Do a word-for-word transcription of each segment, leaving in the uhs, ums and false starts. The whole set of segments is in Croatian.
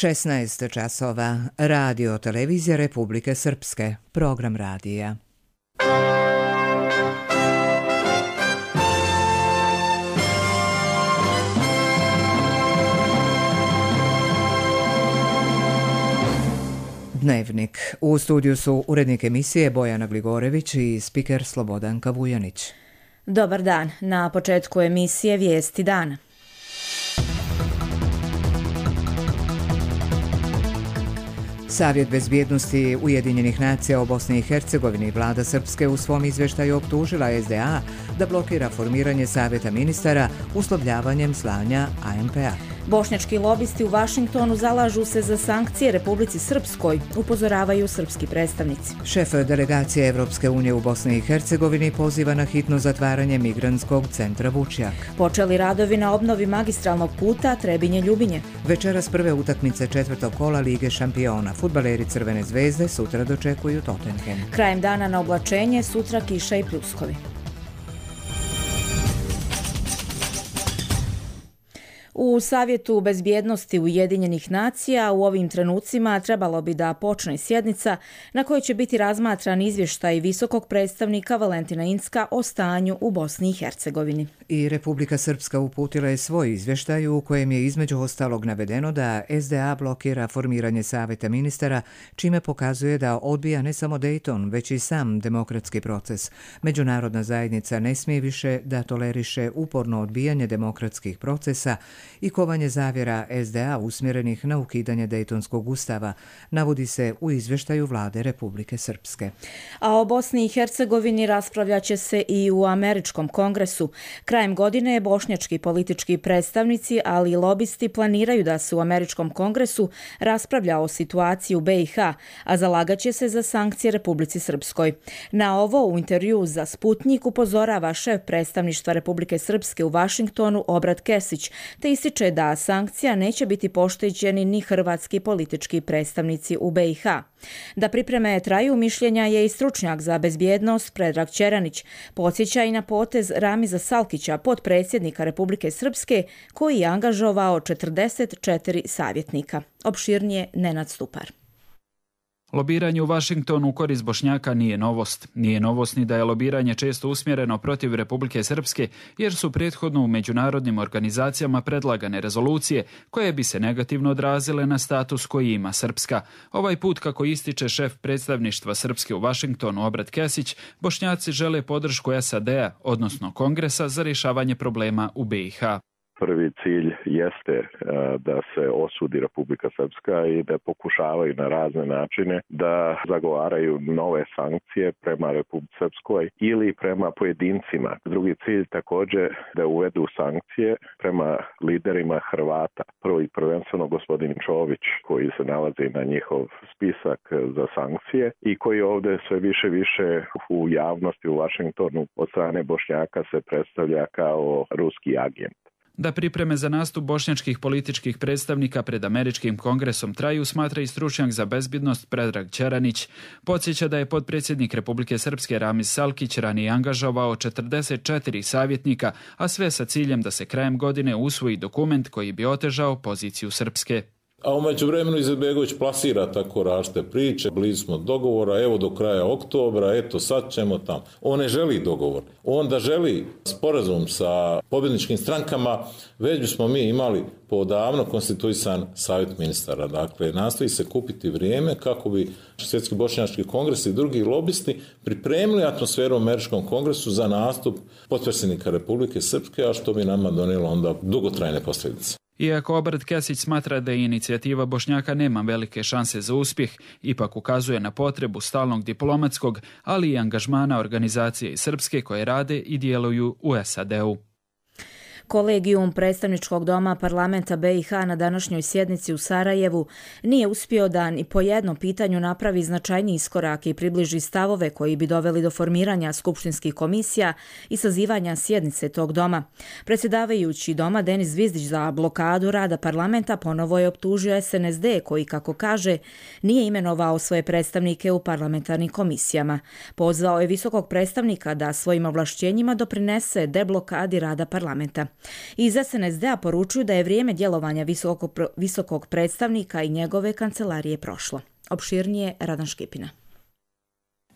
šesnaest časova. Radio televizija Republike Srpske. Program radija. Dnevnik. U studiju su urednik emisije Bojana Gligorević i spiker Slobodanka Vujanić. Dobar dan. Na početku emisije Vijesti dana. Savjet bezbjednosti Ujedinjenih nacija o Bosni i Hercegovini vlada Srpske u svom izveštaju optužila S D A da blokira formiranje savjeta ministara uslovljavanjem slanja A M P A. Bošnjački lobisti u Vašingtonu zalažu se za sankcije Republici Srpskoj, upozoravaju srpski predstavnici. Šef delegacije Evropske unije u Bosni i Hercegovini poziva na hitno zatvaranje migrantskog centra Vučjak. Počeli radovi na obnovi magistralnog puta Trebinje-Ljubinje. Večeras prve utakmice četvrtog kola Lige šampiona. Fudbaleri Crvene zvezde sutra dočekuju Tottenham. Krajem dana na oblačenje, sutra kiša i pljuskovi. U Savjetu bezbjednosti Ujedinjenih nacija u ovim trenucima trebalo bi da počne sjednica na kojoj će biti razmatran izvještaj visokog predstavnika Valentina Incka o stanju u Bosni i Hercegovini. I Republika Srpska uputila je svoj izvještaj u kojem je između ostalog navedeno da S D A blokira formiranje savjeta ministara, čime pokazuje da odbija ne samo Dayton, već i sam demokratski proces. Međunarodna zajednica ne smije više da toleriše uporno odbijanje demokratskih procesa i kovanje zavjera S D A usmjerenih na ukidanje Dejtonskog ustava, navodi se u izvještaju vlade Republike Srpske. A o Bosni i Hercegovini raspravljat će se i u Američkom kongresu. Krajem godine bošnjački politički predstavnici, ali i lobisti planiraju da se u Američkom kongresu raspravlja o situaciji u B i H, a zalagat će se za sankcije Republici Srpskoj. Na ovo u intervju za Sputnjik upozorava šef predstavništva Republike Srpske u Vašingtonu Obrat Kesić, te ističe da sankcija neće biti pošteđeni ni hrvatski politički predstavnici u B i H. Da pripreme traju, mišljenja je i stručnjak za bezbjednost Predrag Ćeranić. Podsjeća i na potez Ramiza Salkića, potpredsjednika Republike Srpske, koji je angažovao četrdeset četiri savjetnika. Opširnije Nenad Stupar. Lobiranje u Vašingtonu u korist Bošnjaka nije novost. Nije novost ni da je lobiranje često usmjereno protiv Republike Srpske, jer su prethodno u međunarodnim organizacijama predlagane rezolucije koje bi se negativno odrazile na status koji ima Srpska. Ovaj put, kako ističe šef predstavništva Srpske u Vašingtonu Obrat Kesić, Bošnjaci žele podršku S A D A, odnosno Kongresa, za rješavanje problema u B i H. Prvi cilj jeste da se osudi Republika Srpska i da pokušavaju na razne načine da zagovaraju nove sankcije prema Republici Srpskoj ili prema pojedincima. Drugi cilj također da uvedu sankcije prema liderima Hrvata. Prvo i prvenstveno gospodin Čović, koji se nalazi na njihov spisak za sankcije i koji ovdje sve više više u javnosti u Vašingtonu od strane Bošnjaka se predstavlja kao ruski agent. Da pripreme za nastup bošnjačkih političkih predstavnika pred Američkim kongresom traju, smatra i stručnjak za bezbjednost Predrag Ćeranić. Podsjeća da je potpredsjednik Republike Srpske Ramiz Salkić ranije angažovao četrdeset četiri savjetnika, a sve sa ciljem da se krajem godine usvoji dokument koji bi otežao poziciju Srpske. A u međuvremenu Izetbegović plasira tako različite priče, blizu smo dogovora, evo do kraja oktobra, eto sad ćemo tamo. On ne želi dogovor. On da želi sporazum sa pobjedničkim strankama, već bismo mi imali podavno konstituisan savjet ministara. Dakle, nastoji se kupiti vrijeme kako bi Svjetski bošnjački kongres i drugi lobisti pripremili atmosferu u Američkom kongresu za nastup potpredsjednika Republike Srpske, a što bi nama donijelo onda dugotrajne posljedice. Iako Obrat Kesić smatra da inicijativa Bošnjaka nema velike šanse za uspjeh, ipak ukazuje na potrebu stalnog diplomatskog, ali i angažmana organizacije iz Srpske koje rade i djeluju u S A D U. Kolegijum predstavničkog doma parlamenta B i H na današnjoj sjednici u Sarajevu nije uspio da ni po jednom pitanju napravi značajni iskorak i približi stavove koji bi doveli do formiranja skupštinskih komisija i sazivanja sjednice tog doma. Predsjedavajući doma Denis Zvizdić za blokadu rada parlamenta ponovo je optužio S N S D koji, kako kaže, nije imenovao svoje predstavnike u parlamentarnim komisijama. Pozvao je visokog predstavnika da svojim ovlašćenjima doprinese deblokadi rada parlamenta. Iz S N S D-a poručuju da je vrijeme djelovanja visokog, visokog predstavnika i njegove kancelarije prošlo. Opširnije Radan Škipina.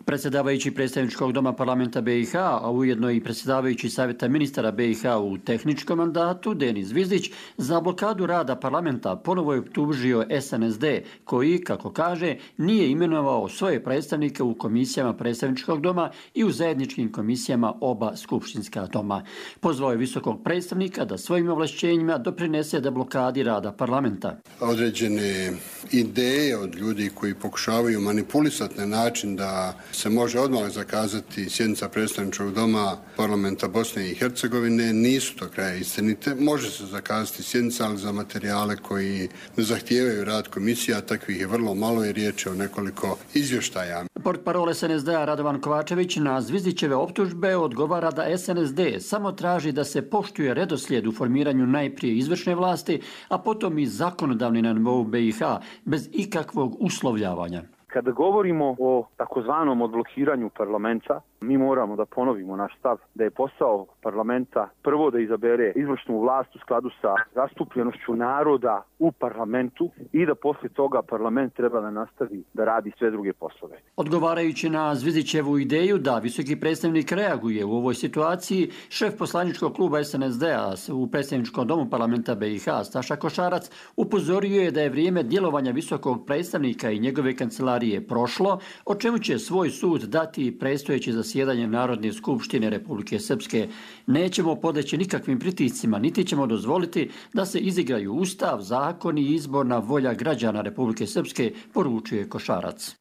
Predsjedavajući predstavničkog doma parlamenta B i H, a ujedno i predsjedavajući savjeta ministara B i H u tehničkom mandatu, Denis Zvizdić, za blokadu rada parlamenta ponovo je optužio S N S D, koji, kako kaže, nije imenovao svoje predstavnike u komisijama predstavničkog doma i u zajedničkim komisijama oba skupštinska doma. Pozvao je visokog predstavnika da svojim ovlašćenjima doprinese da blokadi rada parlamenta. Određene ideje od ljudi koji pokušavaju manipulisati na način da se može odmah zakazati sjednica predstavničkog doma parlamenta Bosne i Hercegovine nisu do kraja istinite. Može se zakazati sjednica, ali za materijale koji ne zahtijevaju rad komisija, takvih je vrlo malo i riječ je o nekoliko izvještaja. Portparol S N S D-a Radovan Kovačević na Zvizdićeve optužbe odgovara da S N S D samo traži da se poštuje redoslijed u formiranju najprije izvršne vlasti, a potom i zakonodavni na nivou B i H, bez ikakvog uslovljavanja. Kada govorimo o takozvanom odblokiranju parlamenta, mi moramo da ponovimo naš stav da je posao parlamenta prvo da izabere izvršnu vlast u skladu sa zastupljenošću naroda u parlamentu i da poslije toga parlament treba da nastavi da radi sve druge poslove. Odgovarajući na Zvizdićevu ideju da visoki predstavnik reaguje u ovoj situaciji, šef poslaničkog kluba S N S D-a u predstavničkom domu parlamenta B i H, Staša Košarac, upozorio je da je vrijeme djelovanja visokog predstavnika i njegove kancelarije je prošlo, o čemu će svoj sud dati predstojeće zasjedanje Narodne skupštine Republike Srpske. Nećemo podleći nikakvim pritiscima, niti ćemo dozvoliti da se izigraju ustav, zakon i izborna volja građana Republike Srpske, poručuje Košarac.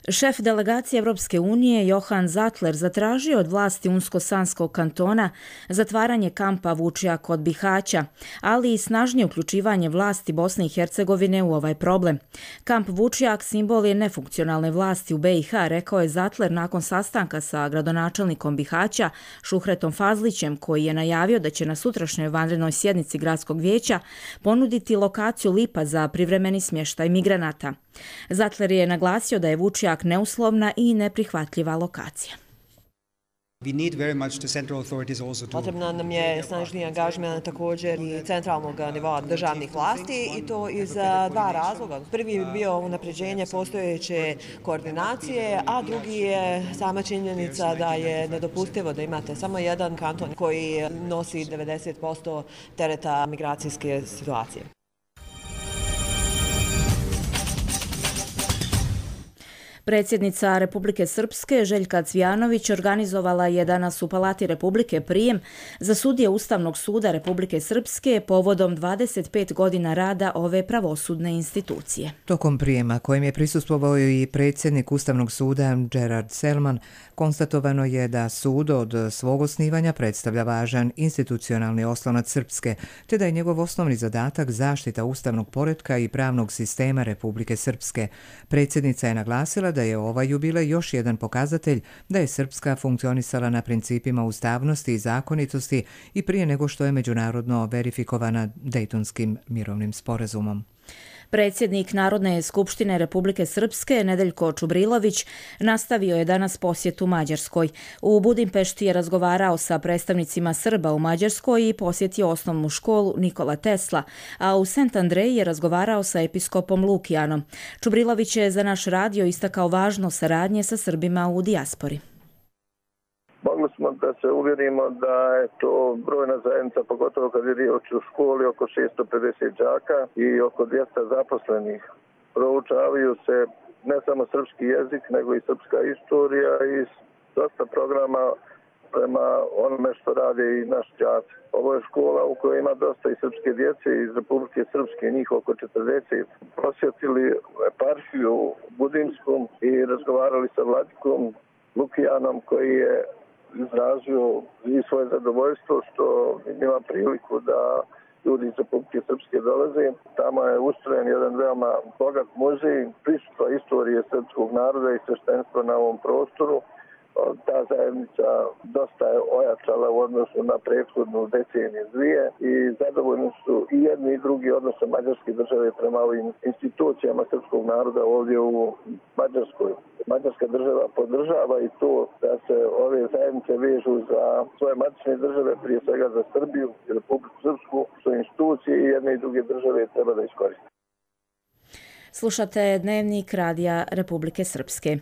Šef delegacije Evropske unije Johan Zatler zatražio od vlasti Unsko-Sanskog kantona zatvaranje kampa Vučjak kod Bihaća, ali i snažnije uključivanje vlasti Bosne i Hercegovine u ovaj problem. Kamp Vučjak simbol je nefunkcionalne vlasti u B i H, rekao je Zatler nakon sastanka sa gradonačelnikom Bihaća Šuhretom Fazlićem, koji je najavio da će na sutrašnjoj vanrednoj sjednici gradskog vijeća ponuditi lokaciju Lipa za privremeni smještaj migranata. Zatler je naglasio da je Vučjak neuslovna i neprihvatljiva lokacija. Potrebna nam je snažniji angažman također i centralnog nivoa državnih vlasti i to iz dva razloga. Prvi je bio unapređenje postojeće koordinacije, a drugi je sama činjenica da je nedopustivo da imate samo jedan kanton koji nosi devedeset posto tereta migracijske situacije. Predsjednica Republike Srpske Željka Cvijanović organizovala je danas u Palati Republike prijem za sudije Ustavnog suda Republike Srpske povodom dvadeset pet godina rada ove pravosudne institucije. Tokom prijema, kojem je prisustvovao i predsjednik Ustavnog suda Gerard Selman, konstatovano je da sud od svog osnivanja predstavlja važan institucionalni oslonac Srpske, te da je njegov osnovni zadatak zaštita ustavnog poretka i pravnog sistema Republike Srpske. Predsjednica je naglasila da je ovaj jubilej još jedan pokazatelj da je Srpska funkcionisala na principima ustavnosti i zakonitosti i prije nego što je međunarodno verifikovana Dejtonskim mirovnim sporazumom. Predsjednik Narodne skupštine Republike Srpske Nedeljko Čubrilović nastavio je danas posjetu Mađarskoj. U Budimpešti je razgovarao sa predstavnicima Srba u Mađarskoj i posjetio osnovnu školu Nikola Tesla, a u Sant Andreji je razgovarao sa episkopom Lukijanom. Čubrilović je za naš radio istakao važnost saradnje sa Srbima u dijaspori. Mogli smo da se uvjerimo da je to brojna zajednica, pogotovo kad je riječ o školi, oko šesto pedeset đaka i oko dvjesto zaposlenih. Proučavaju se ne samo srpski jezik, nego i srpska istorija i dosta programa prema onome što rade i naš đaci. Ovo je škola u kojoj ima dosta i srpske djece iz Republike Srpske, njih oko četrdeset. Posjetili eparhiju Budimskom i razgovarali sa vladikom Lukijanom koji je izrazio i svoje zadovoljstvo što ima priliku da ljudi iz Republike Srpske dolaze. Tamo je ustrojen jedan veoma bogat muzej, prisustva istorije srpskog naroda i sveštenstva na ovom prostoru. Ta zajednica dosta je ojačala u odnosu na prethodnu deceniju dvije i zadovoljni su i jedni i drugi odnose mađarske države prema ovim institucijama srpskog naroda ovdje u Mađarskoj. Mađarska država podržava i to da se ove zajednice vežu za svoje matične države, prije svega za Srbiju i Republiku Srpsku, što institucije i jedne i druge države treba da iskoriste. Slušate Dnevnik Radija Republike Srpske.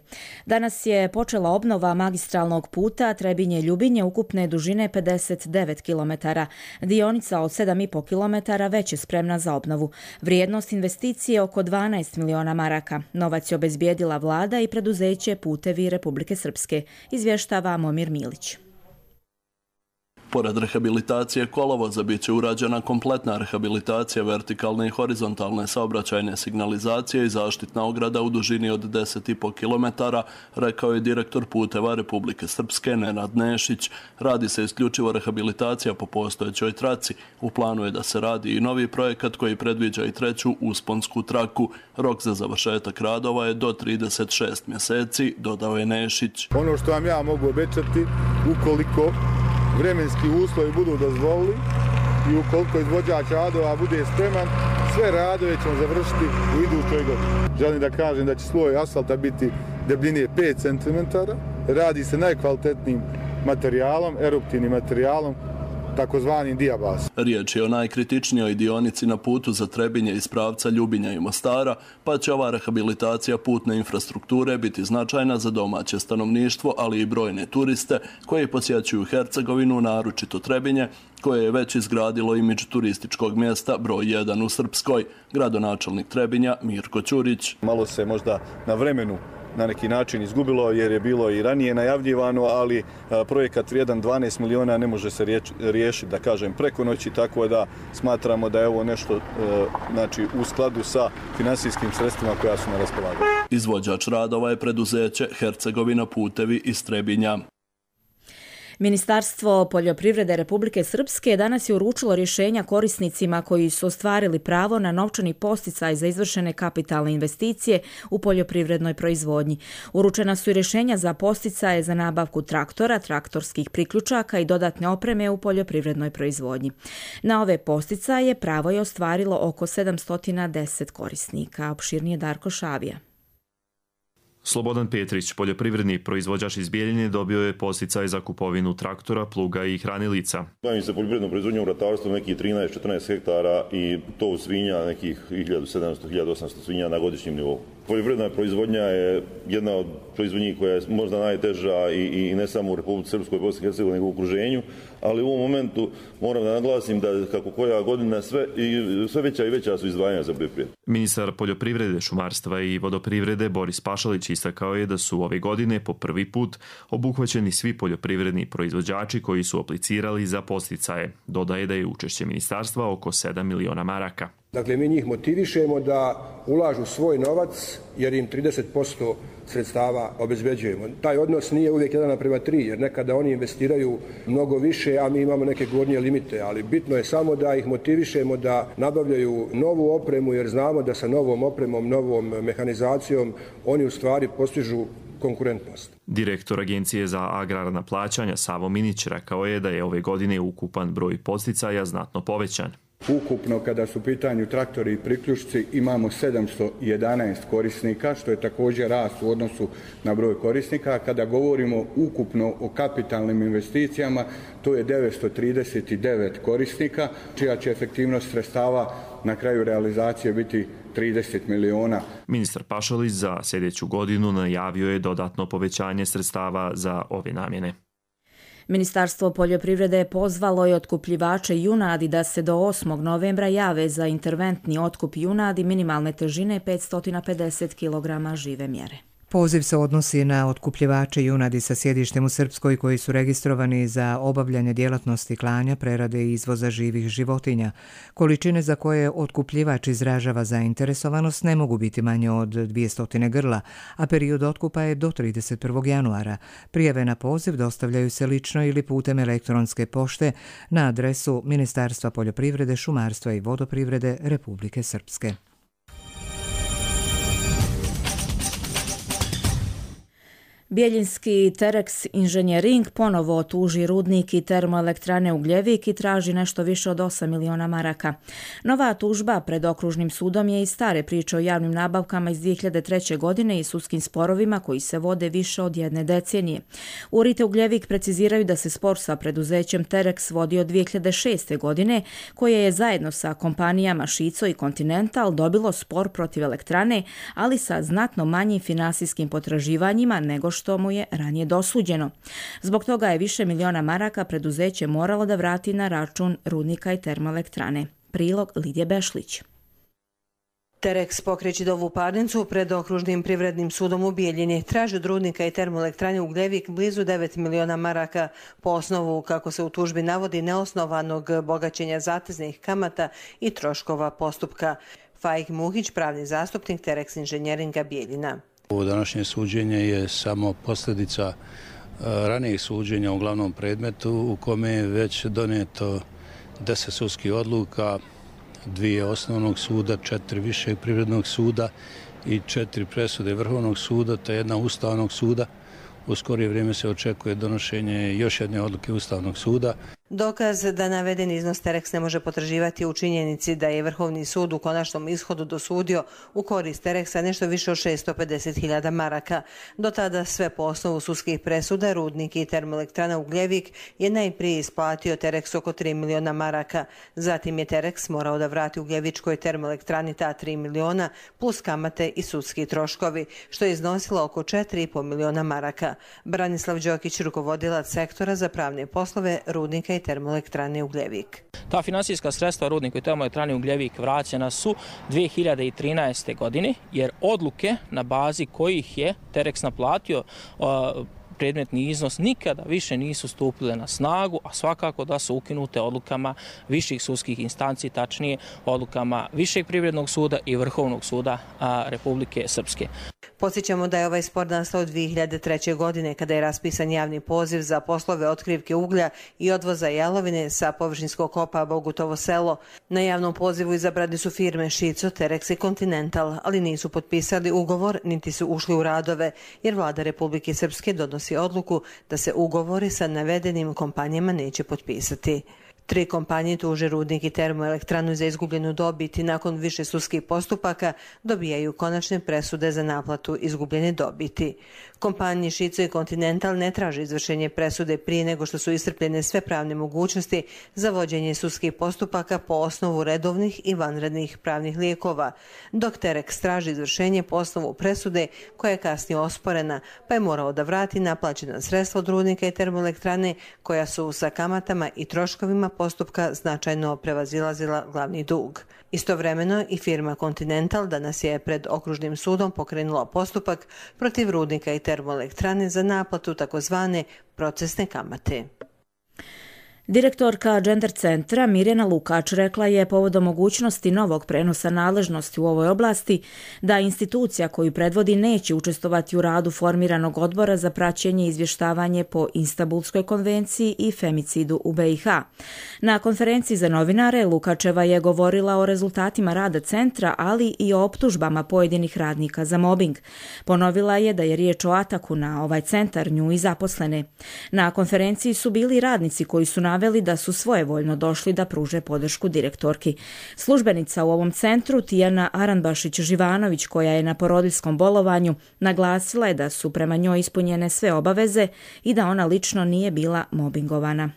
Danas je počela obnova magistralnog puta Trebinje-Ljubinje ukupne dužine pedeset devet kilometara. Dionica od sedam i po kilometara već je spremna za obnovu. Vrijednost investicije oko dvanaest miliona maraka. Novac je obezbijedila vlada i preduzeće Putevi Republike Srpske, izvještava Momir Milić. Pored rehabilitacije kolovoza bit će urađena kompletna rehabilitacija vertikalne i horizontalne saobraćajne signalizacije i zaštitna ograda u dužini od deset i po kilometara, rekao je direktor Puteva Republike Srpske Nenad Nešić. Radi se isključivo rehabilitacija po postojećoj traci. U planu je da se radi i novi projekat koji predviđa i treću usponsku traku. Rok za završetak radova je do trideset šest mjeseci, dodao je Nešić. Ono što vam ja mogu obećati, ukoliko vremenski uslovi budu dozvolili i ukoliko izvođač radova bude spreman, sve radove ćemo završiti u idućoj godini. Želim da kažem da će sloj asfalta biti debljine pet centimetara. Radi se najkvalitetnijim materijalom, eruptivnim materijalom, takozvanim dijabas. Riječ je o najkritičnijoj dionici na putu za Trebinje iz pravca Ljubinja i Mostara, pa će ova rehabilitacija putne infrastrukture biti značajna za domaće stanovništvo, ali i brojne turiste koji posjećuju Hercegovinu, naročito Trebinje, koje je već izgradilo imidž turističkog mjesta broj jedan u Srpskoj. Gradonačelnik Trebinja Mirko Ćurić. Malo se možda na vremenu na neki način izgubilo jer je bilo i ranije najavljivano, ali projekat vrijedan dvanaest miliona ne može se riješiti, da kažem, preko noći, tako da smatramo da je ovo nešto znači, u skladu sa finansijskim sredstvima koja su na raspolaganju. Izvođač radova je preduzeće Hercegovina Putevi iz Trebinja. Ministarstvo poljoprivrede Republike Srpske danas je uručilo rješenja korisnicima koji su ostvarili pravo na novčani posticaj za izvršene kapitalne investicije u poljoprivrednoj proizvodnji. Uručena su i rješenja za posticaje za nabavku traktora, traktorskih priključaka i dodatne opreme u poljoprivrednoj proizvodnji. Na ove posticaje pravo je ostvarilo oko sedamsto deset korisnika. Opširnije Darko Šavija. Slobodan Petrić, poljoprivredni proizvođač iz Bijeljine, dobio je posticaj za kupovinu traktora, pluga i hranilica. Bavim se poljoprivrednom proizvodnjom u ratarstvu nekih trinaest četrnaest hektara i to svinja nekih hiljadu sedamsto do hiljadu osamsto svinja na godišnjem nivou. Poljoprivredna proizvodnja je jedna od proizvodnji koja je možda najteža i, i ne samo u Republici Srpskoj, Bosni i Hercegovini, nego u okruženju, ali u ovom momentu moram da naglasim da kako koja godina sve, i, sve veća i veća su izdvajanja za poljoprivredu. Ministar poljoprivrede, šumarstva i vodoprivrede Boris Pašalić istakao je da su ove godine po prvi put obuhvaćeni svi poljoprivredni proizvođači koji su aplicirali za posticaje. Dodaje da je učešće ministarstva oko sedam miliona maraka. Dakle, mi njih motivišemo da ulažu svoj novac jer im trideset posto sredstava obezbeđujemo. Taj odnos nije uvijek jedan naprema tri, jer nekada oni investiraju mnogo više, a mi imamo neke gornje limite, ali bitno je samo da ih motivišemo da nabavljaju novu opremu, jer znamo da sa novom opremom, novom mehanizacijom oni u stvari postižu konkurentnost. Direktor Agencije za agrarna plaćanja Savo Minić rekao je da je ove godine ukupan broj podsticaja znatno povećan. Ukupno, kada su u pitanju traktori i priključci, imamo sedamsto jedanaest korisnika, što je također rast u odnosu na broj korisnika. Kada govorimo ukupno o kapitalnim investicijama, to je devetsto trideset devet korisnika, čija će efektivnost sredstava na kraju realizacije biti trideset miliona. Ministar Pašalić za sljedeću godinu najavio je dodatno povećanje sredstava za ove namjene. Ministarstvo poljoprivrede pozvalo je otkupljivače junadi da se do osmog novembra jave za interventni otkup junadi minimalne težine petsto pedeset kilograma žive mjere. Poziv se odnosi na otkupljivače junadi sa sjedištem u Srpskoj koji su registrovani za obavljanje djelatnosti klanja, prerade i izvoza živih životinja. Količine za koje otkupljivač izražava zainteresovanost ne mogu biti manje od dvjesto grla, a period otkupa je do trideset prvog januara. Prijave na poziv dostavljaju se lično ili putem elektronske pošte na adresu Ministarstva poljoprivrede, šumarstva i vodoprivrede Republike Srpske. Bijeljinski Terex Inženjering ponovo tuži rudnik i termoelektrane Ugljevik i traži nešto više od osam miliona maraka. Nova tužba pred okružnim sudom je iz stare priče o javnim nabavkama iz dvije hiljade treće. godine i sudskim sporovima koji se vode više od jedne decenije. U R I T Ugljevik preciziraju da se spor sa preduzećem Terex vodi od dvije hiljade šeste. godine, koje je zajedno sa kompanijama Šico i Continental dobilo spor protiv elektrane, ali sa znatno manjim finansijskim potraživanjima nego što mu je ranije dosuđeno. Zbog toga je više miliona maraka preduzeće moralo da vrati na račun rudnika i termoelektrane. Prilog Lidije Bešlić. Terex pokreće ovu parnicu pred okružnim privrednim sudom u Bijeljini. Traži od rudnika i termoelektrane Ugljevik blizu devet miliona maraka po osnovu, kako se u tužbi navodi, neosnovanog bogaćenja zateznih kamata i troškova postupka. Faik Muhić, pravni zastupnik Terex Inženjeringa Bijeljina. Ovo današnje suđenje je samo posljedica ranijih suđenja u glavnom predmetu u kome je već doneto deset sudskih odluka, dvije osnovnog suda, četiri višeg privrednog suda i četiri presude Vrhovnog suda te jedna Ustavnog suda. U skorije vrijeme se očekuje donošenje još jedne odluke Ustavnog suda. Dokaz da navedeni iznos Terex ne može potraživati u činjenici da je Vrhovni sud u konačnom ishodu dosudio u korist Terexa nešto više od šesto pedeset hiljada maraka. Do tada sve po osnovu sudskih presuda rudnik i termoelektrana Ugljevik je najprije isplatio Terex oko tri miliona maraka. Zatim je Terex morao da vrati Ugljevičkoj termoelektrani ta tri miliona plus kamate i sudski troškovi, što je iznosilo oko četiri i po miliona maraka. Branislav Đokić, rukovodilac sektora za pravne poslove rudnika i termoelektrane Ugljevik. Ta finansijska sredstva rudniku i termoelektrani Ugljevik vraćena su dvije hiljade trinaeste. godine, jer odluke na bazi kojih je Terex naplatio predmetni iznos nikada više nisu stupile na snagu, a svakako da su ukinute odlukama viših sudskih instanci, tačnije odlukama Višeg privrednog suda i Vrhovnog suda Republike Srpske. Podsjećamo da je ovaj spor nastao dvije hiljade treće. godine kada je raspisan javni poziv za poslove otkrivke uglja i odvoza jalovine sa površinskog kopa Bogutovo selo. Na javnom pozivu izabrani su firme Šico, Terex i Continental, ali nisu potpisali ugovor niti su ušli u radove, jer vlada Republike Srpske donosi odluku da se ugovori sa navedenim kompanijama neće potpisati. Tri kompanije tuže rudnik i termoelektranu za izgubljenu dobit i nakon više sudskih postupaka dobijaju konačne presude za naplatu izgubljene dobiti. Kompanije Šico i Continental ne traže izvršenje presude prije nego što su iscrpljene sve pravne mogućnosti za vođenje sudskih postupaka po osnovu redovnih i vanrednih pravnih lijekova, dok Terex traži izvršenje po osnovu presude koja je kasnije osporena, pa je morao da vrati naplaćena sredstva od rudnika i termoelektrane koja su sa kamatama i troškovima postupka značajno prevazilazila glavni dug. Istovremeno i firma Continental danas je pred okružnim sudom pokrenula postupak protiv rudnika i termoelektrane za naplatu takozvane procesne kamate. Direktorka Gender centra Mirjana Lukač rekla je povodom mogućnosti novog prenosa nadležnosti u ovoj oblasti da institucija koju predvodi neće učestvovati u radu formiranog odbora za praćenje i izvještavanje po Istanbulskoj konvenciji i femicidu u B i H. Na konferenciji za novinare Lukačeva je govorila o rezultatima rada centra, ali i o optužbama pojedinih radnika za mobing. Ponovila je da je riječ o ataku na ovaj centar, nju i zaposlene. Na konferenciji su bili radnici koji su naveli da su svojevoljno došli da pruže podršku direktorki. Službenica u ovom centru, Tijana Aranbašić-Živanović, koja je na porodiljskom bolovanju, naglasila je da su prema njoj ispunjene sve obaveze i da ona lično nije bila mobingovana.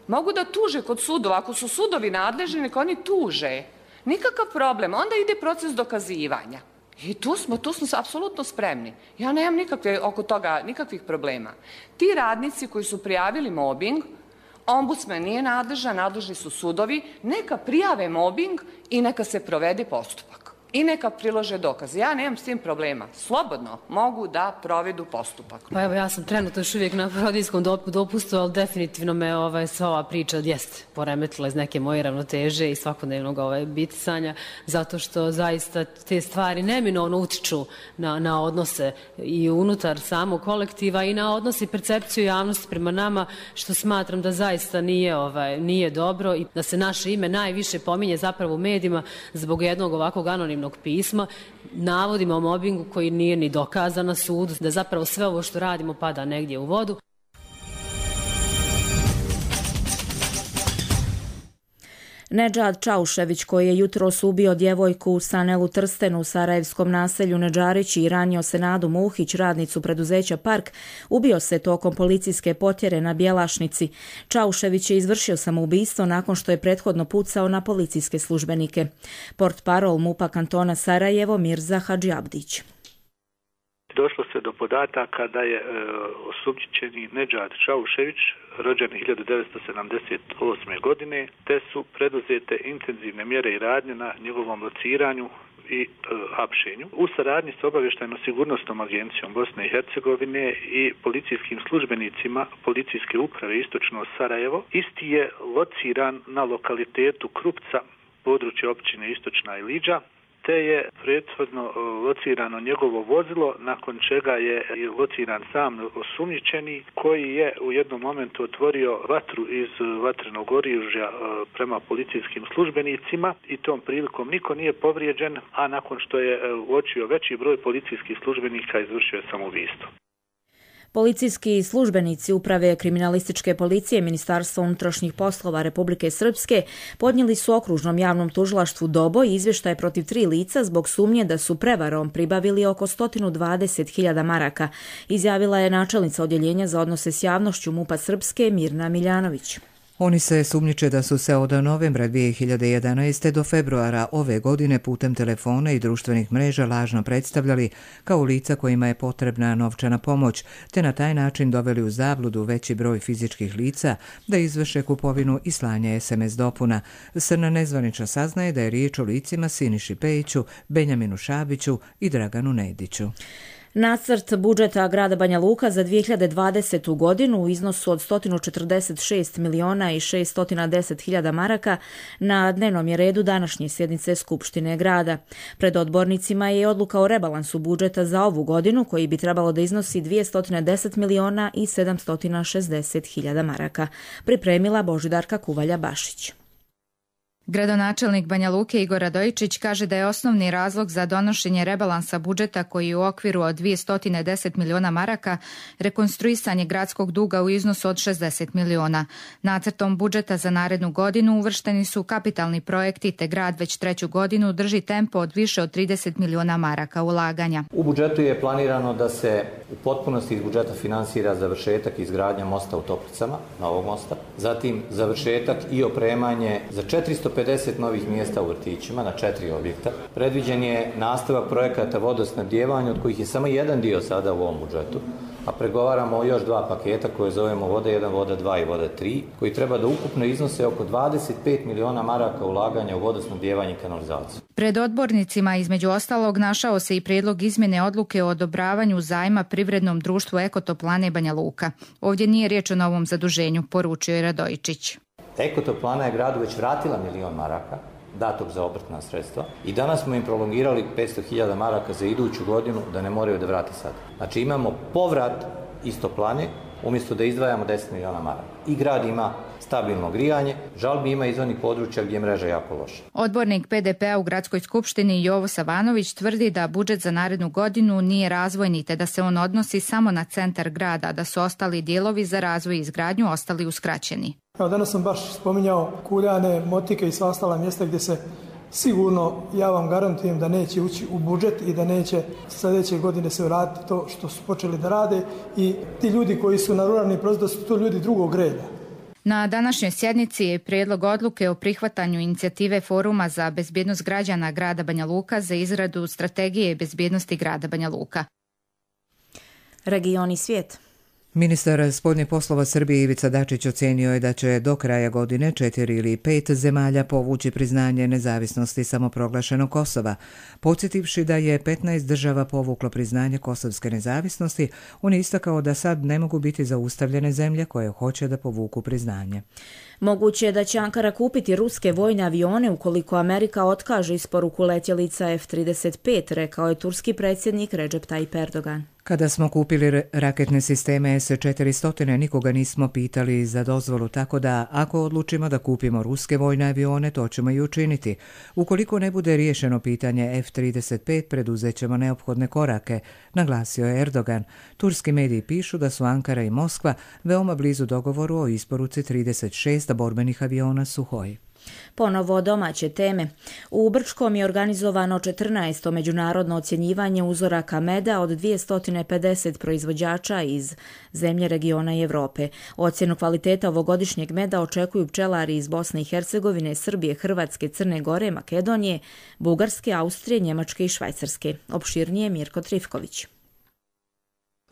Mogu da tuže kod sudova, ako su sudovi nadležni, neka oni tuže. Nikakav problem, onda ide proces dokazivanja. I tu smo, tu smo apsolutno spremni. Ja nemam nikakve, oko toga nikakvih problema. Ti radnici koji su prijavili mobing, ombudsman nije nadležan, nadležni su sudovi, neka prijave mobing i neka se provede postupak. I neka prilože dokaze. Ja nemam s tim problema. Slobodno mogu da provedu postupak. Pa evo, ja sam trenutno još uvijek na porodiljskom dopustu, ali definitivno me ovaj, sva ova priča jest poremetila iz neke moje ravnoteže i svakodnevnog ovaj, bitisanja, zato što zaista te stvari neminovno utiču na, na odnose i unutar samog kolektiva i na odnos i percepciju javnosti prema nama, što smatram da zaista nije, ovaj, nije dobro i da se naše ime najviše pominje zapravo u medijima zbog jednog ovakvog anonimnog anonimnog pisma, navodima o mobingu koji nije ni dokazan na sudu, da zapravo sve ovo što radimo pada negdje u vodu. Nedžad Čaušević, koji je jutros ubio djevojku u Sanelu Trstenu u sarajevskom naselju Nedžarići i ranio se Nadu Muhić, radnicu preduzeća Park, ubio se tokom policijske potjere na Bjelašnici. Čaušević je izvršio samoubistvo nakon što je prethodno pucao na policijske službenike. Portparol MUP-a kantona Sarajevo Mirza Hadžiabdić. Došlo se do podataka da je e, osumnjičeni Nedžad Čaušević rođen hiljadu devetsto sedamdeset osme. godine, te su preduzete intenzivne mjere i radnje na njegovom lociranju i e, hapšenju. U saradnji s obavještajno-sigurnosnom agencijom Bosne i Hercegovine i policijskim službenicima Policijske uprave Istočno Sarajevo, isti je lociran na lokalitetu Krupca, područje općine Istočna Ilidža, te je prethodno locirano njegovo vozilo, nakon čega je lociran sam osumnjičeni, koji je u jednom momentu otvorio vatru iz vatrenog oružja prema policijskim službenicima i tom prilikom niko nije povrijeđen, a nakon što je uočio veći broj policijskih službenika izvršio je samoubistvo. Policijski službenici Uprave kriminalističke policije Ministarstva unutrašnjih poslova Republike Srpske podnijeli su okružnom javnom tužilaštvu Doboj izvještaj protiv tri lica zbog sumnje da su prevarom pribavili oko sto dvadeset hiljada maraka, izjavila je načelnica odjeljenja za odnose s javnošću MUP-a Srpske Mirna Miljanović. Oni se sumnjiče da su se od novembra dvije hiljade jedanaeste. do februara ove godine putem telefona i društvenih mreža lažno predstavljali kao lica kojima je potrebna novčana pomoć, te na taj način doveli u zabludu veći broj fizičkih lica da izvrše kupovinu i slanje es em es dopuna. Srna nezvanična saznaje da je riječ o licima Siniši Pejiću, Benjaminu Šabiću i Draganu Nediću. Nacrt budžeta grada Banja Luka za dvije hiljade dvadesetu. godinu u iznosu od sto četrdeset šest miliona i šesto deset hiljada maraka na dnevnom je redu današnje sjednice Skupštine grada. Pred odbornicima je odluka o rebalansu budžeta za ovu godinu koji bi trebalo da iznosi dvjesto deset miliona i sedamsto šezdeset hiljada maraka. Pripremila Božidarka Kuvalja-Bašić. Gradonačelnik Banja Luke Igor Radojičić kaže da je osnovni razlog za donošenje rebalansa budžeta koji je u okviru od dvjesto deset miliona maraka rekonstruisanje gradskog duga u iznosu od šezdeset miliona. Nacrtom budžeta za narednu godinu uvršteni su kapitalni projekti te grad već treću godinu drži tempo od više od trideset miliona maraka ulaganja. U budžetu je planirano da se u potpunosti iz budžeta finansira završetak izgradnja mosta u Toplicama, novog mosta, zatim završetak i opremanje za četiristo pedeset novih mjesta u vrtićima na četiri objekta. Predviđen je nastavak projekata vodosnabdijevanja, od kojih je samo jedan dio sada u ovom budžetu, a pregovaramo o još dva paketa koje zovemo Voda jedan, Voda dva i Voda tri, koji treba da ukupno iznose oko dvadeset pet miliona maraka ulaganja u vodosnabdijevanje i kanalizaciju. Pred odbornicima između ostalog našao se i prijedlog izmjene odluke o odobravanju zajma privrednom društvu Ekotoplane Banja Luka. Ovdje nije riječ o novom zaduženju, poručio je Radojičić. Ekotoplana je gradu već vratila milion maraka, datog za obrtna sredstva, i danas smo im prolongirali petsto hiljada maraka za iduću godinu da ne moraju da vrati sad. Znači imamo povrat iz Toplane umjesto da izdvajamo deset miliona maraka. I grad ima stabilno grijanje, žalbi ima iz onih područja gdje je mreža jako loša. Odbornik pe de pe-a u Gradskoj skupštini Jovo Savanović tvrdi da budžet za narednu godinu nije razvojni te da se on odnosi samo na centar grada, da su ostali dijelovi za razvoj i izgradnju ostali uskraćeni. Evo, danas sam baš spominjao Kuljane, Motike i sva ostala mjesta gdje se sigurno, ja vam garantujem da neće ući u budžet i da neće sljedeće godine se vratiti to što su počeli da rade, i ti ljudi koji su na ruralnim prostorima su to ljudi drugog reda. Na današnjoj sjednici je prijedlog odluke o prihvatanju inicijative Foruma za bezbjednost građana grada Banja Luka za izradu strategije bezbjednosti grada Banja Luka. Region i svijet. Ministar spoljnih poslova Srbije Ivica Dačić ocenio je da će do kraja godine četiri ili pet zemalja povući priznanje nezavisnosti samoproglašenog Kosova. Podsjetivši da je petnaest država povuklo priznanje kosovske nezavisnosti, on je istakao da sad ne mogu biti zaustavljene zemlje koje hoće da povuku priznanje. Moguće je da će Ankara kupiti ruske vojne avione ukoliko Amerika otkaže isporuku letjelica ef trideset pet, rekao je turski predsjednik Recep Tayyip Erdogan. Kada smo kupili raketne sisteme es četiristo, nikoga nismo pitali za dozvolu, tako da ako odlučimo da kupimo ruske vojne avione, to ćemo i učiniti. Ukoliko ne bude riješeno pitanje ef trideset pet, preduzet ćemo neophodne korake, naglasio je Erdogan. Turski mediji pišu da su Ankara i Moskva veoma blizu dogovoru o isporuci trideset šest borbenih aviona Suhoj. Ponovo domaće teme. U Brčkom je organizovano četrnaesto međunarodno ocjenjivanje uzoraka meda od dvjesto pedeset proizvođača iz zemlje, regiona i Europe. Ocjenu kvaliteta ovogodišnjeg meda očekuju pčelari iz Bosne i Hercegovine, Srbije, Hrvatske, Crne Gore, Makedonije, Bugarske, Austrije, Njemačke i Švajcarske. Opširnije Mirko Trifković.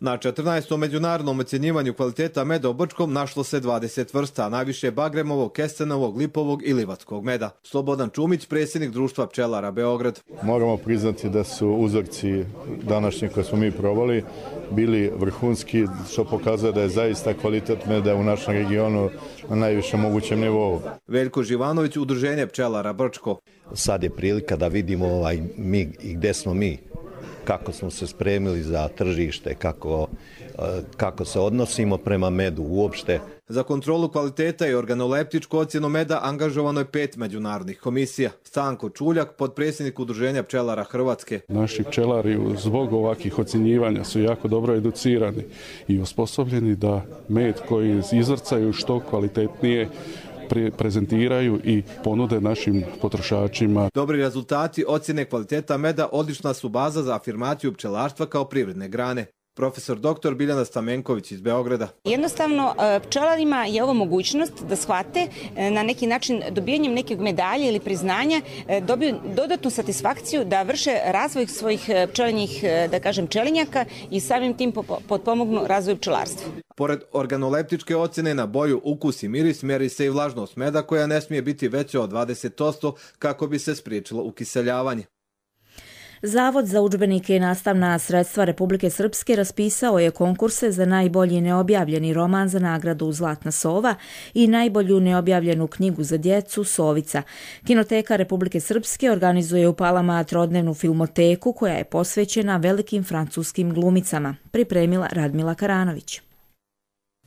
Na četrnaestom međunarodnom ocjenjivanju kvaliteta meda u Brčkom našlo se dvadeset vrsta, najviše bagremovog, kestenovog, lipovog i livatskog meda. Slobodan Čumić, predsjednik društva pčelara Beograd. Moramo priznati da su uzorci današnji koje smo mi probali bili vrhunski, što pokazuje da je zaista kvalitet meda u našem regionu na najvišem mogućem nivou. Veljko Živanović, udruženje pčelara Brčko. Sad je prilika da vidimo ovaj mi i gde smo mi, kako smo se spremili za tržište, kako, kako se odnosimo prema medu uopšte. Za kontrolu kvaliteta i organoleptičku ocjenu meda angažovano je pet međunarodnih komisija. Stanko Čuljak, potpredsjednik udruženja pčelara Hrvatske. Naši pčelari zbog ovakvih ocjenjivanja su jako dobro educirani i osposobljeni da med koji izvrcaju što kvalitetnije prezentiraju i ponude našim potrošačima. Dobri rezultati ocjene kvaliteta meda odlična su baza za afirmaciju pčelarstva kao privredne grane. Profesor doktor Biljana Stamenković iz Beograda. Jednostavno, pčelarima je ovo mogućnost da shvate na neki način dobijanjem nekog medalje ili priznanja dobiju dodatnu satisfakciju da vrše razvoj svojih pčelinjih, da kažem, pčelinjaka i samim tim potpomognu razvoju pčelarstva. Pored organoleptičke ocjene na boju, ukus i miris meri se i vlažnost meda koja ne smije biti veća od dvadeset posto kako bi se spriječilo ukiseljavanje. Zavod za udžbenike i nastavna sredstva Republike Srpske raspisao je konkurse za najbolji neobjavljeni roman za nagradu Zlatna sova i najbolju neobjavljenu knjigu za djecu Sovica. Kinoteka Republike Srpske organizuje u Palama trodnevnu filmoteku koja je posvećena velikim francuskim glumicama, pripremila Radmila Karanović.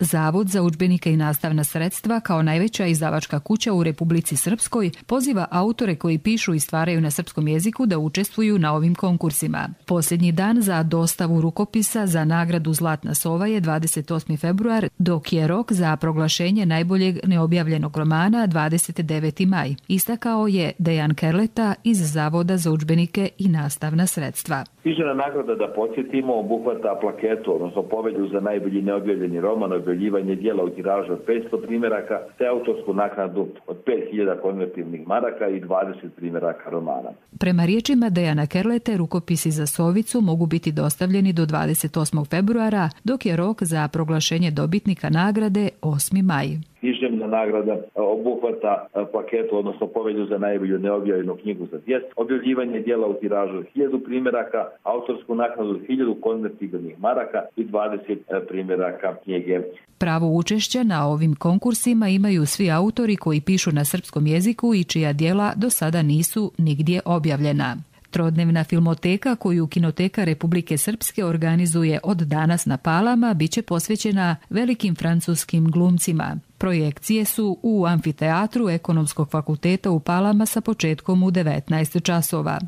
Zavod za udžbenike i nastavna sredstva kao najveća izdavačka kuća u Republici Srpskoj poziva autore koji pišu i stvaraju na srpskom jeziku da učestvuju na ovim konkursima. Posljednji dan za dostavu rukopisa za nagradu Zlatna sova je dvadeset osmi februar, dok je rok za proglašenje najboljeg neobjavljenog romana dvadeset deveti maj, istakao je Dejan Kerleta iz Zavoda za udžbenike i nastavna sredstva. Književna nagrada, da podsjetimo, obuhvata plaketu, odnosno povelju za najbolji neobjavljeni roman, objavljivanje dijela u tiražu od petsto primjeraka, te autorsku naknadu od pet hiljada konvertivnih maraka i dvadeset primjeraka romana. Prema riječima Dejana Kerlete, rukopisi za Sovicu mogu biti dostavljeni do dvadeset osmog februara, dok je rok za proglašenje dobitnika nagrade osmi maj. Književna nagrada obuhvata plaketu, odnosno povelju za najbolju neobjavljenu knjigu za djecu, objavljivanje dijela u tiražu od hiljadu primjeraka, autorsku naknadu od hiljadu konvertibilnih maraka i dvadeset primjeraka knjige. Pravo učešća na ovim konkursima imaju svi autori koji pišu na srpskom jeziku i čija djela do sada nisu nigdje objavljena. Trodnevna filmoteka koju Kinoteka Republike Srpske organizuje od danas na Palama biće posvećena velikim francuskim glumcima. Projekcije su u amfiteatru Ekonomskog fakulteta u Palama sa početkom u devetnaest časova.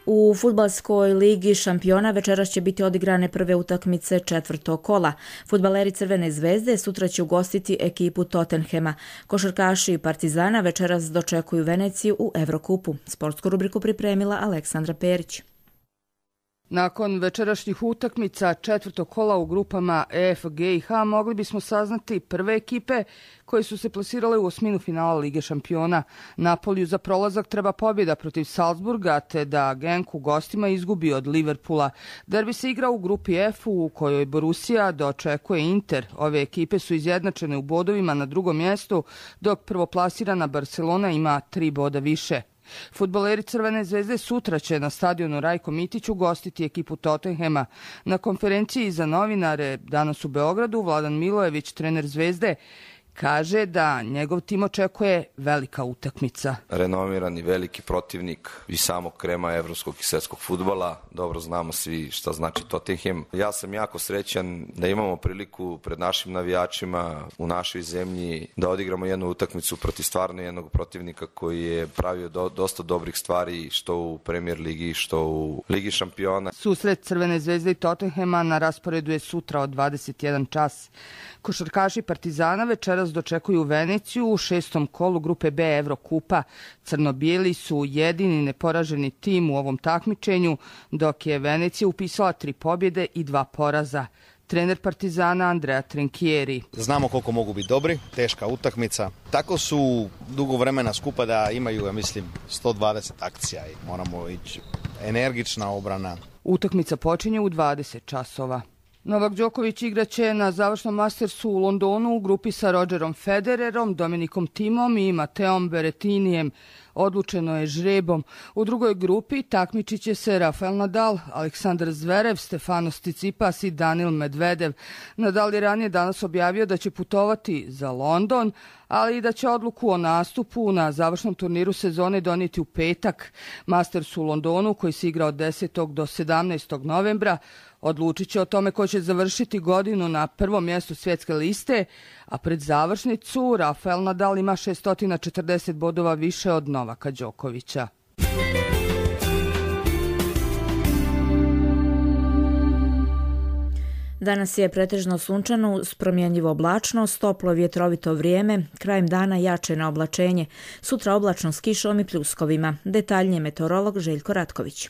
U fudbalskoj ligi šampiona večeras će biti odigrane prve utakmice četvrtog kola. Fudbaleri Crvene zvezde sutra će ugostiti ekipu Tottenhema. Košarkaši Partizana večeras dočekuju Veneciju u Evrokupu. Sportsku rubriku pripremila Aleksandra Perić. Nakon večerašnjih utakmica četvrtog kola u grupama E, F, G i H mogli bismo saznati prve ekipe koje su se plasirale u osminu finala Lige šampiona. Napoliju za prolazak treba pobjeda protiv Salzburga, te da Genk u gostima izgubi od Liverpoola. Derbi se igra u grupi F u kojoj Borussia dočekuje Inter. Ove ekipe su izjednačene u bodovima na drugom mjestu, dok prvoplasirana Barcelona ima tri boda više. Fudbaleri Crvene zvezde sutra će na stadionu Rajko Mitić ugostiti ekipu Tottenhema. Na konferenciji za novinare danas u Beogradu Vladan Milojević, trener Zvezde, Kaže da njegov tim očekuje velika utakmica. Renomirani veliki protivnik i samog krema evropskog i svjetskog fudbala. Dobro znamo svi šta znači Tottenham. Ja sam jako srećan da imamo priliku pred našim navijačima u našoj zemlji da odigramo jednu utakmicu protiv stvarno jednog protivnika koji je pravio do, dosta dobrih stvari što u Premier ligi, što u Ligi šampiona. Susret Crvene zvezde i Tottenhama na rasporedu je sutra od dvadeset jedan čas. Košarkaši Partizana večeras dočekuju Veneciju u šestom kolu grupe B Evrokupa. Crno-bijeli su jedini neporaženi tim u ovom takmičenju, dok je Venecija upisala tri pobjede i dva poraza. Trener Partizana Andrea Trinchieri. Znamo koliko mogu biti dobri, teška utakmica. Tako su dugo vremena skupa da imaju, ja mislim, sto dvadeset akcija i moramo ići energična obrana. Utakmica počinje u dvadeset časova. Novak Đoković igraće na završnom Mastersu u Londonu u grupi sa Rogerom Federerom, Dominikom Thimom i Mateom Berrettinijem. Odlučeno je žrebom. U drugoj grupi takmičit će se Rafael Nadal, Aleksandar Zverev, Stefanos Tsitsipas i Danil Medvedev. Nadal je ranije danas objavio da će putovati za London, ali i da će odluku o nastupu na završnom turniru sezone donijeti u petak. Masters u Londonu, koji se igra od desetog do sedamnaestog novembra, odlučit će o tome ko će završiti godinu na prvom mjestu svjetske liste, a pred završnicu Rafael Nadal ima šesto četrdeset bodova više od Novaka Đokovića. Danas je pretežno sunčano uz promjenjivo oblačnost, toplo vjetrovito vrijeme, krajem dana jače na oblačenje, sutra oblačno s kišom i pljuskovima. Detaljnije meteorolog Željko Ratković.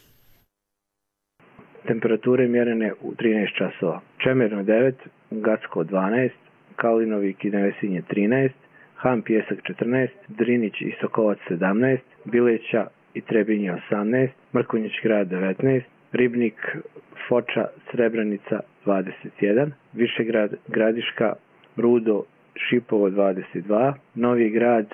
Temperature mjerene u trinaest časova. Čemerno devet, Gacko dvanaest, Kalinovik i Nevesinje trinaest, Han Pjesak četrnaest, Drinić i Sokovac sedamnaest, Bileća i Trebinje osamnaest, Mrkonjić grad devetnaest, Ribnik, Foča, Srebrenica dvadeset jedan, Višegrad, Gradiška, Rudo, Šipovo dvadeset dva, Novi Grad,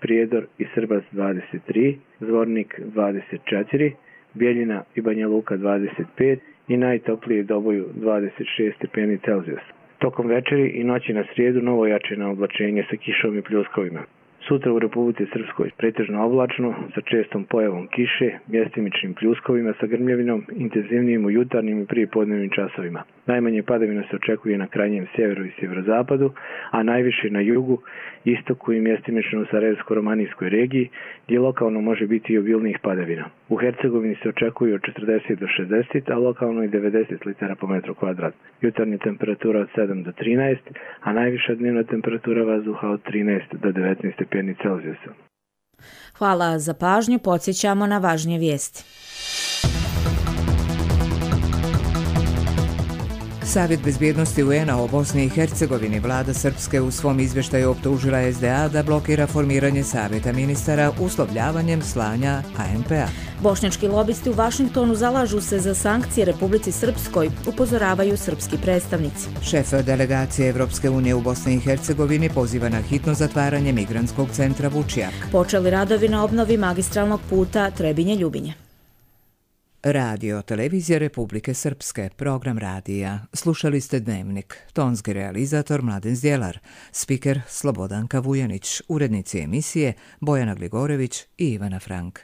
Prijedor i Srbac dvadeset tri, Zvornik dvadeset četiri, Bijeljina i Banja Luka dvadeset pet i najtoplije Doboju dvadeset šest stepeni Celzijusa. Tokom večeri i noći na srijedu novo jačeno oblačenje sa kišom i pljuskovima. Sutra u Republici Srpskoj pretežno oblačno sa čestom pojavom kiše, mjestimičnim pljuskovima sa grmljavinom, intenzivnijim u jutarnjim i prijepodnevnim časovima. Najmanje padavina se očekuje na krajnjem sjeveru i sjeverozapadu, a najviše na jugu, istoku i mjestimično u Sarajevsko-romanijskoj regiji, gdje lokalno može biti i obilnijih padavina. U Hercegovini se očekuje od četrdeset do šezdeset, a lokalno i devedeset litara po metru kvadrat. Jutarnja temperatura od sedam do trinaest, a najviša dnevna temperatura vazduha od trinaest do devetnaest stepeni Celzijusa. Hvala za pažnju, podsjećamo na važnije vijesti. Savjet bezbjednosti U N-a o Bosni i Hercegovini, vlada Srpske u svom izvještaju optužila S D A da blokira formiranje savjeta ministara uslovljavanjem slanja A N P-a. Bošnjački lobisti u Vašingtonu zalažu se za sankcije Republici Srpskoj, upozoravaju srpski predstavnici. Šef delegacije Evropske unije u Bosni i Hercegovini poziva na hitno zatvaranje migrantskog centra Vučjak. Počeli radovi na obnovi magistralnog puta Trebinje-Ljubinje. Radio Televizija Republike Srpske, program radija. Slušali ste Dnevnik. Tonski realizator Mladen Zdjelar, spiker Slobodanka Vujanić, urednici emisije Bojana Gligorević i Ivana Frank.